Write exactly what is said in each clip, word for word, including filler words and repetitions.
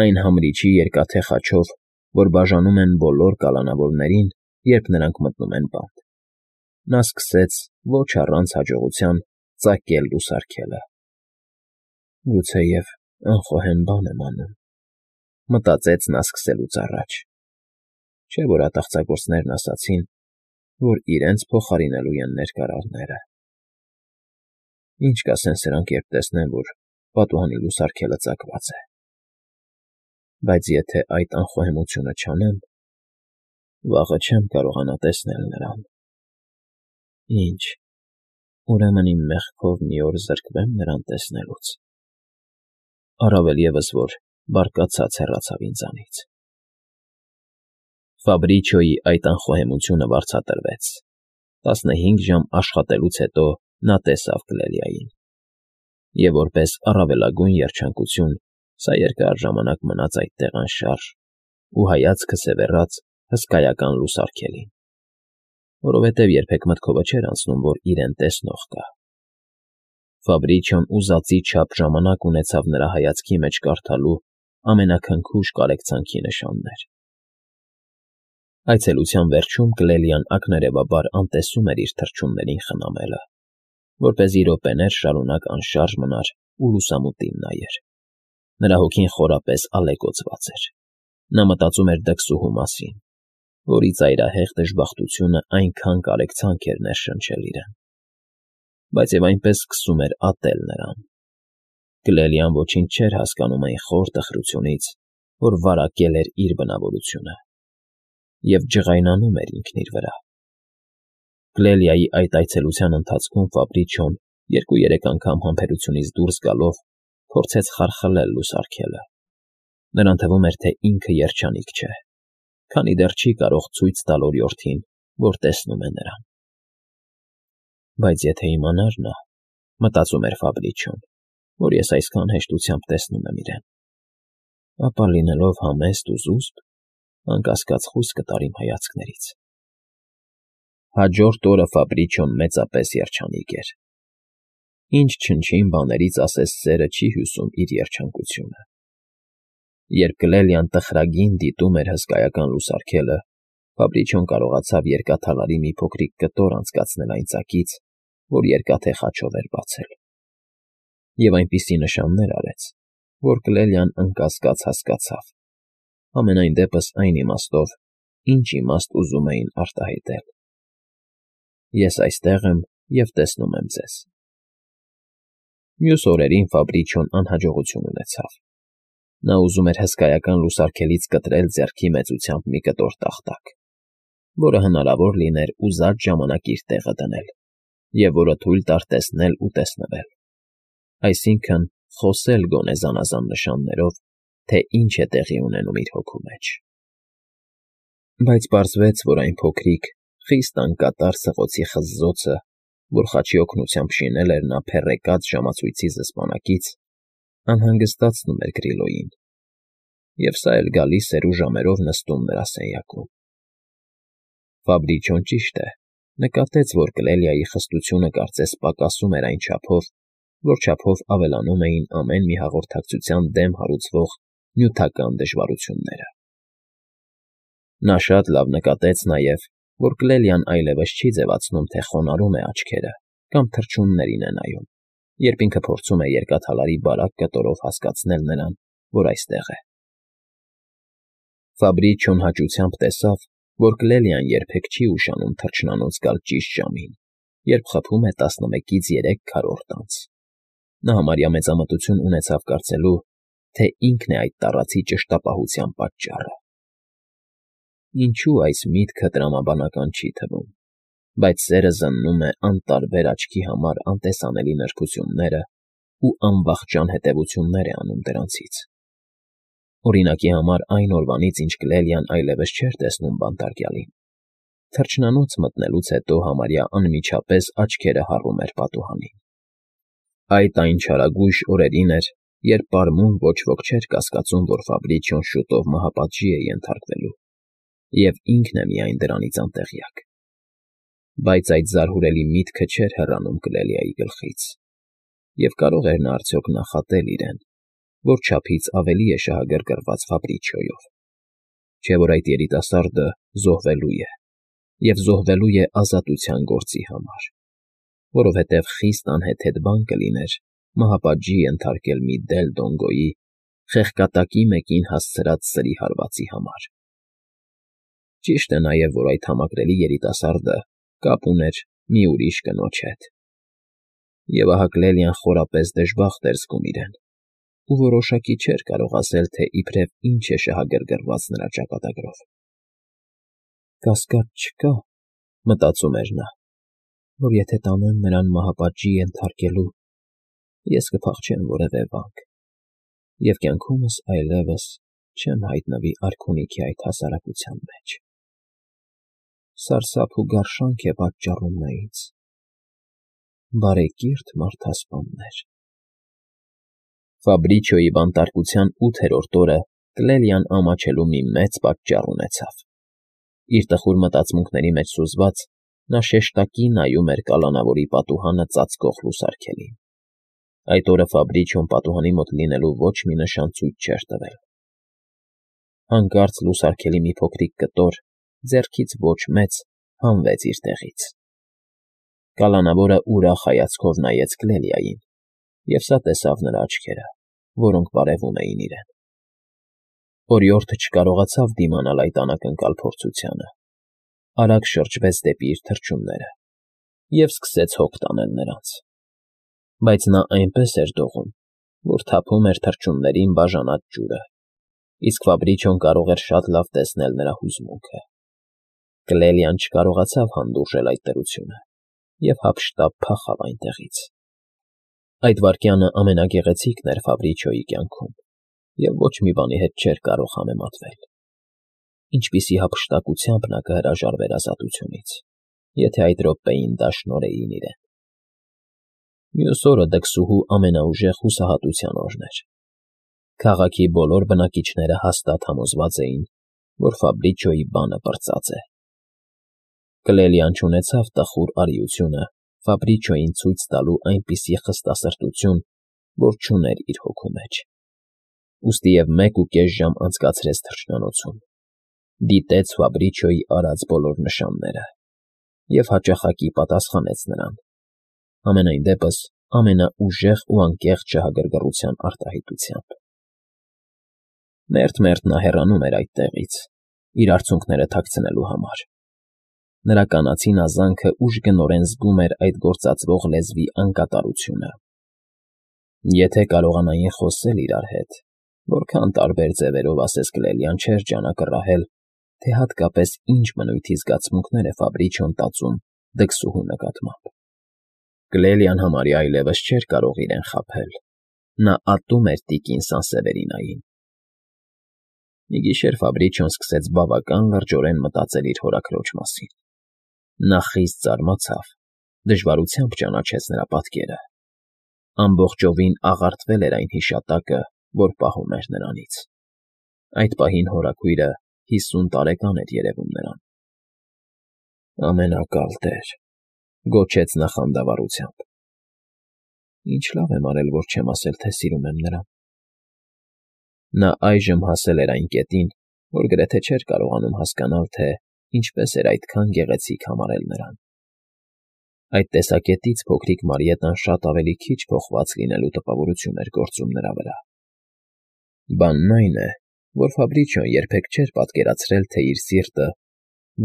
Այն համրիչի երկաթե խաչով, որ բաժանում են բոլոր կալանավորներին, երբ նրանք մտնում են բանտ, նա սկսեց ոչ առանց հաջողության ծակել լուսարգելը։ «Գուցեև անխոհեմ բան եմ անում,֊ մտածեց նա սկսելուց առաջ, չէ՞ որ ատաղձագործներն ասացին, որ իրենց փոխարինելու են ներկարարները։ Ինչ կասեն սրանք, երբ տեսնեն, որ պատուհանի լուսարգելը ծակված է։ Բայց եթե այդ անխոհեմությունը չանեմ, վաղը չեմ կարողանա տեսնել նրան։ Ինչ, ուրեմն իմ մեղքով մի օր զրկվե՞մ նրան տեսնելուց։ Առավել ևս, որ բարկացած հեռացավ ինձանից»։ Ֆաբրիչոյի այդ անխոհեմությունը վարձատրվեց։ Տասնհինգ ժամ աշխատելուց հետո նա տեսավ Կլելիային, և որպես առավելագույն երջանկություն սա երկար ժամանակ մնաց այդտեղ անշարժ ու հայացքը սևեռաց հսկայական լուսարգելին, որովհետև երբեք մտքովը չէր անցնում, որ իրեն տեսնող կա։ Ֆաբրիչոն ուզածի չափ ժամանակ ունեցավ նրա հայացքի մեջ կարդալու ամենաքնքուշ կարեկցանքի նշաններ։ Այցելության վերջում Կլելիան ակներևաբար անտեսում էր իր թռչուններին խնամելը, որպեսզի րոպեներ շարունակ անշարժ մնար ու լուսամուտին նայեր։ Նրա հոգին խորապես ալեկոծված էր։ Նա մտածում էր դքսուհու մասին, որի ծայրահեղ դժբախտությունը այնքան կարեկցանք էր ներշնչել իրեն, բայց և այնպես սկսում էր ատել նրան։ Կլելիան ոչինչ չէր հասկանում այն խոր տխրությունից, որ վարակել էր իր բնավորությունը, և ջղայնանում էր ինքն իր վրա։ Կլելիայի այդ այցելության ընթացքում Ֆաբրիչոն երկու֊երեք անգամ համբերությունից դուրս գալով փորձեց խարխլել լուսարգելը։ Նրան թվում էր, թե ինքը երջանիկ չէ, քանի դեռ չի կարող ցույց տալ օրիորդին, որ տեսնում է նրան։ «Բայց եթե իմանար նա,֊ մտածում էր Ֆաբրիչոն,֊ որ ես այսքան հեշտությամբ տեսնում եմ իրեն, ապա լինելով համեստ ու զուսպ, անկասկած խույս կտար իմ հայացքներից»։ Հաջորդ օրը Ֆաբրիչոն մեծապես երջանիկ էր։ Ինչ չնչին բաներից ասես սերը չի հյուսում իր երջանկությունը։ Երբ Կլելիան տխրագին դիտում էր հսկայական լուսարգելը, Ֆաբրիչոն կարողացավ երկաթալարի մի փոքրիկ կտոր անցկացնել այն ծակից, որ երկաթե խաչով էր բացել, և այնպիսի նշաններ արեց, որ Կլելիան անկասկած հասկացավ, համենայն դեպս այն իմաստով, ինչ իմաստ ուզում էին արտահայտել. «Ես այստեղ եմ և տեսնում եմ ձեզ»։ Մյուս օրերին Ֆաբրիչոն անհաջողություն ունեցավ։ Նա ուզում էր հսկայական լուսարգելից կտրել ձեռքի մեծությամբ մի կտոր տախտակ, որը հնարավոր լիներ ուզած ժամանակ իր տեղը դնել, և որը թույլ տար տեսնել ու տեսնվել, այսինքն՝ խոսել գոնե զանազան նշաններով, թե ինչ է տեղի ունենում իր հոգու մեջ։ Բայց պարզվեց, որ այն փոքրիկ, խիստ անկատար սղոցի խզզոցը, որ խաչի օգնությամբ շինել էր նա փեռեկած ժամացույցի զսպանակից, անհանգստացնում էր Գրիլոյին, և սա էլ գալիս էր ու ժամերով նստում նրա սենյակում։ Ֆաբրիչոն, ճիշտ է, նկատեց, որ Կլելիայի խստությունը կարծես պակասում էր այն չափով, որ չափով ավելանում էին ամեն մի հաղորդակցության դեմ հարուցվող նյութական դժվարությունները։ Նա շատ լավ նկատեց նաև, որ Կլելիան այլևս չի ձևացնում, թե խոնարհում է աչքերը կամ թռչուններին է նայում, երբ ինքը փորձում է երկաթալարի բարակ կտորով հասկացնել նրան, որ այստեղ է։ Ֆաբրիչոն հաճությամբ տեսավ, որ Կլելիան երբեք չի ուշանում թռչնանոց գալ ճիշտ ժամին, երբ խփում է տասնմեկից երեք քառորդ անց։ Նա համարյա մեծամտություն ունեցավ կարծելու, թե ինքն է այդ տառացի ճշտապահության պատճառը։ Ինչո՞ւ այս միտքը տրամաբանական չի թվում, բայց սերը զննում է անտարբեր աչքի համար անտեսանելի նրբությունները ու անվախճան հետևություններ է անում դրանցից։ Օրինակի համար, այն օրվանից, ինչ Կլելիան այլևս չէր տեսնում բանտարկյալին, թռչնանոց մտնելուց հետո համարյա անմիջապես աչքերը հառում էր պատուհանին։ Այդ այն չարագույժ օրերին էր, երբ պարմուն ոչ ոք չէր կասկածում, որ Ֆաբրիչոն շուտով մահապատժի է ենթարկվելու, և ինքն է միայն դրանից անտեղյակ։ Բայց այդ զարհուրելի միտքը չէր հեռանում Կլելիայի գլխից, և կարո՞ղ էր նա արդյոք նախատել իրեն, որ չափից ավելի է շահագրգռված Ֆաբրիչիոյով, չէ՞ որ այդ երիտասարդը զոհվելու է, և զոհվելու է ազատության գործի համար, որովհետև խիստ անհեթեթ բան կլիներ մահապատժի ենթարկել մի դել Դոնգոյի խեղկատակի մեկին հասցրած սրի հարվածի համար։ Ճիշտ է նաև, որ այդ համակրելի երիտասարդը կապ ուներ մի ուրիշ կնոջ հետ, և ահա Կլելիան խորապես դժբախտ էր զգում իրեն ու որոշակի չէր կարող ասել, թե իբրև ինչ է շահագրգռված նրա ճակատագրով։ «Կասկած չկա, ֊ մտածում էր նա, ֊ որ եթե տանեն նրան մահապատժի ենթարկելու, ես կփախչեմ որևէ վանք և կյանքումս այլևս չեմ հայտնվի արքունիքի այդ հասարակության մեջ։ Սարսափ ու գարշանք է պատճառում նա ինձ, բարեկիրթ մարդասպաններ»։ Ֆաբրիչիոյի բանտարկության ութերորդ օրը Կլելիան ամաչելու մի մեծ պատճառ ունեցավ։ Իր տխուր մտածմունքների մեջ սուզված՝ նա շեշտակի նայում էր կալանավորի պատուհանը ծածկող լուսարգելին։ Այդ օրը Ֆաբրիչիոն պատուհանի մոտ լինելու ոչ մի նշան ցույց չէր տվել։ Հանկարծ լուսարգելի մի փոքրիկ կտոր, ձեռքից ոչ մեծ, հանվեց իր տեղից։ Կալանավորը ուրախ հայացքով նայեց Կլելիային, և սա տեսավ նրա աչքերը, որոնք բարևում էին իրեն։ Օրիորդը չկարողացավ դիմանալ այդ անակնկալ փորձությանը, արագ շրջվեց դեպի իր թռչունները և սկսեց հոգ տանել նրանց, բայց նա այնպես էր դողում, որ թափում էր թռչուններին բաժանած ջուրը, իսկ Ֆաբրիչիոն կարող էր շատ լավ տեսնել նրա հուզմունքը։ Կլելիան չկարողացավ հանդուրժել այդ դրությունը և հափշտապ փախավ այնտեղից։ Այդ վայրկյանը ամենագեղեցիկն էր Ֆաբրիչիոյի կյանքում և ոչ մի բանի հետ չէր կարող համեմատվել։ Ինչպիսի հափշտակությամբ նա կհրաժարվեր ազատությունից, եթե այդ րոպեին դաշնորեին իրեն։ Մյուս օրը դքսուհու ամենաուժեղ հուսահատության օրն էր։ Քաղաքի բոլոր բնակիչները հաստատ համոզված էին, որ Ֆաբրիչիոյի բանը պրծած է։ Կլելիան չունեցավ տխուր արիությունը Ֆաբրիչիոյին ցույց տալու այնպիսի խստասրտություն, որ չուներ իր հոգու մեջ։ Ուստի և մեկ ու կես ժամ անցկացրեց թռչնանոցում, դիտեց Ֆաբրիչիոյի արած բոլոր նշանները և հաճախակի պատասխանեց նրան, համենայն դեպս ամենաուժեղ ու անկեղծ շահագրգռության արտահայտությամբ։ Մերթ֊մերթ նա հեռանում էր այդտեղից՝ իր արցունքները թաքցնելու համար։ Նրա կանացին ազանքը ուժգնորեն զգում էր այդ գործածվող լեզվի անկատարությունը։ Եթե կարողանային խոսել իրար հետ, որքան տարբեր ձևերով, ասես Կլելիան, չէր ջանա կռահել, թե հատկապես ինչ բնույթի զգացմունքներ է Ֆաբրիչիոն տածում դքսուհու նկատմամբ։ Կլելիան համարյա այլևս չէր կարող իրեն խաբել։ Նա ատում էր տիկին Սանսևերինային։ Մի գիշեր Ֆաբրիչիոն սկսեց բավական լրջորեն մտածել իր հորաքրոջ մասին։ Նա խիստ զարմացավ, դժվարությամբ ճանաչեց նրա պատկերը։ Ամբողջովին աղարտվել էր այն հիշատակը, որ պահում էր նրանից։ Այդ պահին հորաքույրը հիսուն տարեկան էր երևում նրան։ «Ամենակալ տեր», ֊ գոչեց նա խանդավառությամբ։ «Ինչ լավ եմ արել, որ չեմ ասել, թե սիրում եմ նրան»։ Նա այժմ հասել էր այն կետին, որ գրեթե չէր կարողանում հասկանալ, թե ինչպես էր այդքան գեղեցիկ համարել նրան։ Այդ տեսակետից փոքրիկ Մարիետան շատ ավելի քիչ փոխված լինելու տպավորություն էր գործում նրա վրա։ Բանն այն է, որ Ֆաբրիչիոն երբեք չէր պատկերացրել, թե իր սիրտը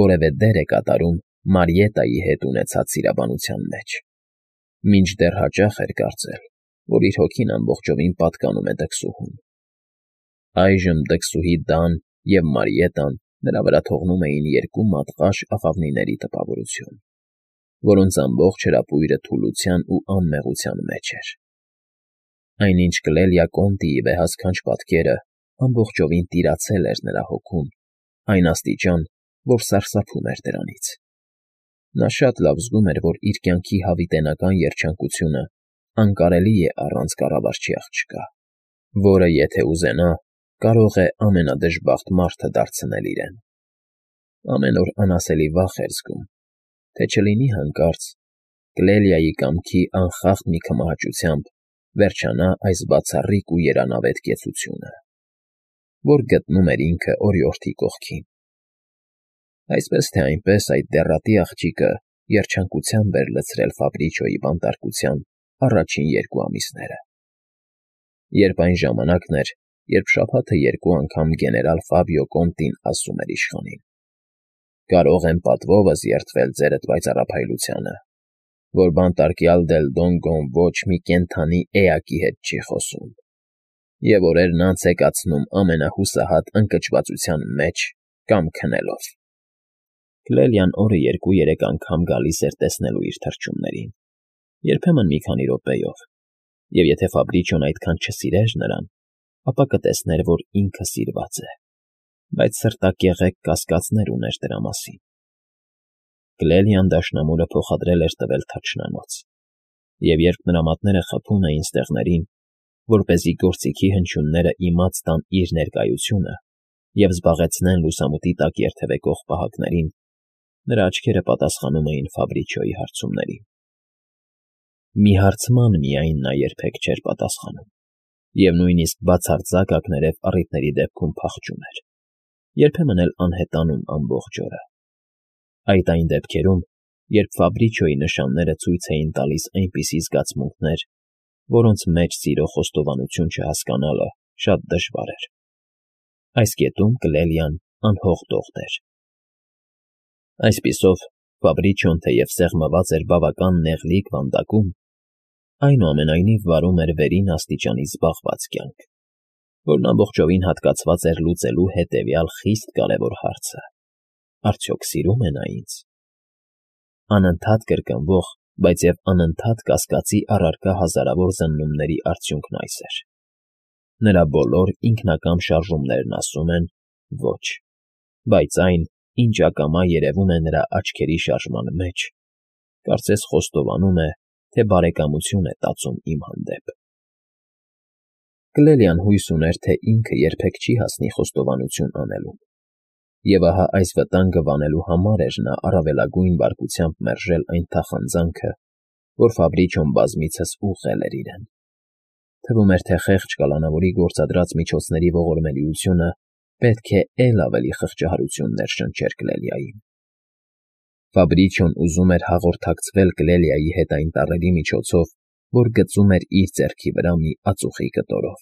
որևէ դեր է կատարում Մարիետայի հետ ունեցած սիրաբանության մեջ, մինչդեռ հաճախ էր կարծել, որ իր հոգին ամբողջովին պատկանում է դքսուհուն։ Այժմ դքսուհի Դան և Մարիետան նրա վրա թողնում էին երկու մատղաշ աղավնիների տպավորություն, որոնց ամբողջ հրապույրը թուլության ու անմեղության մեջ էր։ Այնինչ Կլելիա Կոնտիի վեհասքանչ պատկերը ամբողջովին տիրացել էր նրա հոգում այն աստիճան, որ սարսափում էր դրանից։ Նա շատ լավ զգում էր, որ իր կյանքի հավիտենական երջանկությունը անկարելի է առանց կառավարչի աղջկա, որը, եթե ուզենա, կարող է ամենադժբախտ մարդը դարձնել իրեն։ Ամեն օր անասելի վախ էր զգում, թե չլինի հանկարծ Կլելիայի կամքի անխախտ մի քմահաճությամբ վերջանա այս բացառիկ ու երանավետ կեցությունը, որ գտնում էր ինքը օրիորդի կողքին։ Այսպես թե այնպես այդ դեռատի աղջիկը երջանկությամբ էր լցրել Ֆաբրիչոյի բանտարկության առաջին երկու ամիսները։ Երբ այն ժամանակն էր, երբ շաբաթը երկու անգամ գեներալ Ֆաբիո Կոնտին ասում էր իշխանին. «Կարող եմ պատվովս երդվել ձերդ պայծառափայլությանը, որ բանտարկյալ Դել Դոնգոն ոչ մի կենդանի էակի հետ չի խոսում, և օրերն անց է կացնում ամենահուսահատ ընկճվածության մեջ կամ քնելով»։ Կլելիան օրը երկու֊երեք անգամ գալիս էր տեսնելու իր թռչուններին, երբեմն մի քանի րոպեով, և եթե Ֆաբրիչոն այդքան չսիրեր նրան, ապա կտեսներ, որ ինքը սիրված է, բայց սրտակեղեկ կասկածներ ուներ դրա մասին։ Կլելիան դաշնամուրը փոխադրել էր տվել թռչնանոց, և երբ նրա մատները խփում էին ստեղներին, որպեսզի գործիքի հնչյունները իմաց տան իր ներկայությունը և զբաղեցնեն լուսամուտի տակ երթևեկող պահակներին, նրա աչքերը պատասխանում էին Ֆաբրիչոյի հարցումներին։ Մի հարցման միայն նա երբեք չէր պատասխանում, և նույնիսկ բացարձակ ակներև առիթների դեպքում փախչում էր, երբեմն էլ անհետանում ամբողջ օրը։ Այդ այն դեպքերում, երբ Ֆաբրիչոյի նշանները ցույց էին տալիս այնպիսի զգացմունքներ, որոնց մեջ սիրո խոստովանություն չհասկանալը շատ դժվար էր։ Այս կետում Կլելիան անհող էր։ Այսպիսով, Ֆաբրիչոն թեև սեղմված էր բավական նեղլիկ վանդակում, այնուամենայնիվ վարում էր վերին աստիճանի զբաղված կյանք, որն ամբողջովին հատկացված էր լուծելու հետևյալ խիստ կարևոր հարցը. արդյոք սիրո՞ւմ է նա ինձ։ Անընդհատ կրկնվող, բայց և անընդհատ կասկածի առարկա հազարավոր զննումների արդյունքն այս էր. նրա բոլոր ինքնակամ շարժումներն ասում են ոչ, բայց այն, ինչ ակամա երևում է նրա աչքերի շարժման մեջ, կարծես խոստովանում է, թե բարեկամություն է տածում իմ հանդեպ։ Կլելիան հույս ուներ, թե ինքը երբեք չի հասնի խոստովանություն անելուն, և ահա այս վտանգը վանելու համար էր նա առավելագույն բարկությամբ մերժել այն թախանձանքը, որ Ֆաբրիչոն բազմիցս ուղղել էր իրեն։ Թվում էր, թե խեղճ կալանավորի գործադրած միջոցների ողորմելիությունը պետք է էլ ավելի խղճահարություններ շնչեր Կլելիային։ Ֆաբրիչոն ուզում էր հաղորդակցվել Կլելիայի հետ այն տառերի միջոցով, որ գծում էր իր ձեռքի վրա մի ածուխի կտորով,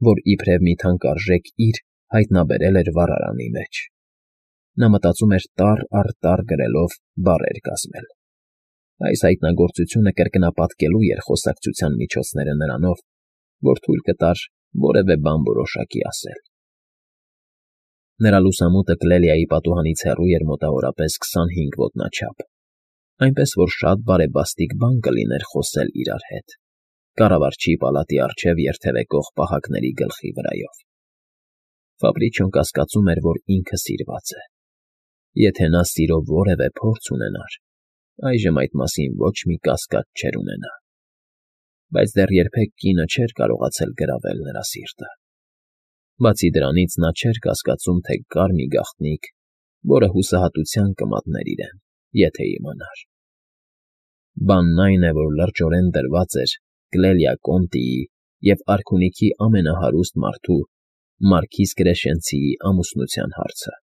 որ իբրև մի թանկարժեք իր հայտնաբերել էր վառարանի մեջ։ Նա մտածում էր տառ առ տառ գրելով բառեր կազմել։ Այս հայտնագործությունը կրկնապատկելու էր խոսակցության միջոցները նրանով, որ թույլ կտար որևէ բան որոշակի ասել։ Նրա լուսամուտը Կլելիայի պատուհանից հեռու էր մոտավորապես քսանհինգ ոտնաչափ, այնպես որ շատ բարեբաստիկ բան կլիներ խոսել իրար հետ, կառավարչի պալատի առջև երթևեկող պահակների գլխի վրայով։ Ֆաբրիչոն կասկածում էր, որ ինքը սիրված է։ Եթե նա սիրո որևէ փորձ ունենար, այժմ այդ մասին ոչ մի կասկած չէր ունենա։ Բայց դեռ երբեք կինը չէր կարողացել գրավել նրա սիրտը։ Բացի դրանից նա չէր կասկածում, թե կար մի գաղտնիք, որը հուսահատության կմատներ իրեն, եթե իմանար։ Բանն այն է, որ լրջորեն դրված էր Կլելիա Կոնտիի և արքունիքի ամենահարուստ մարդու՝ մարքիզ Կրեշենցիի ամուսնության հարցը։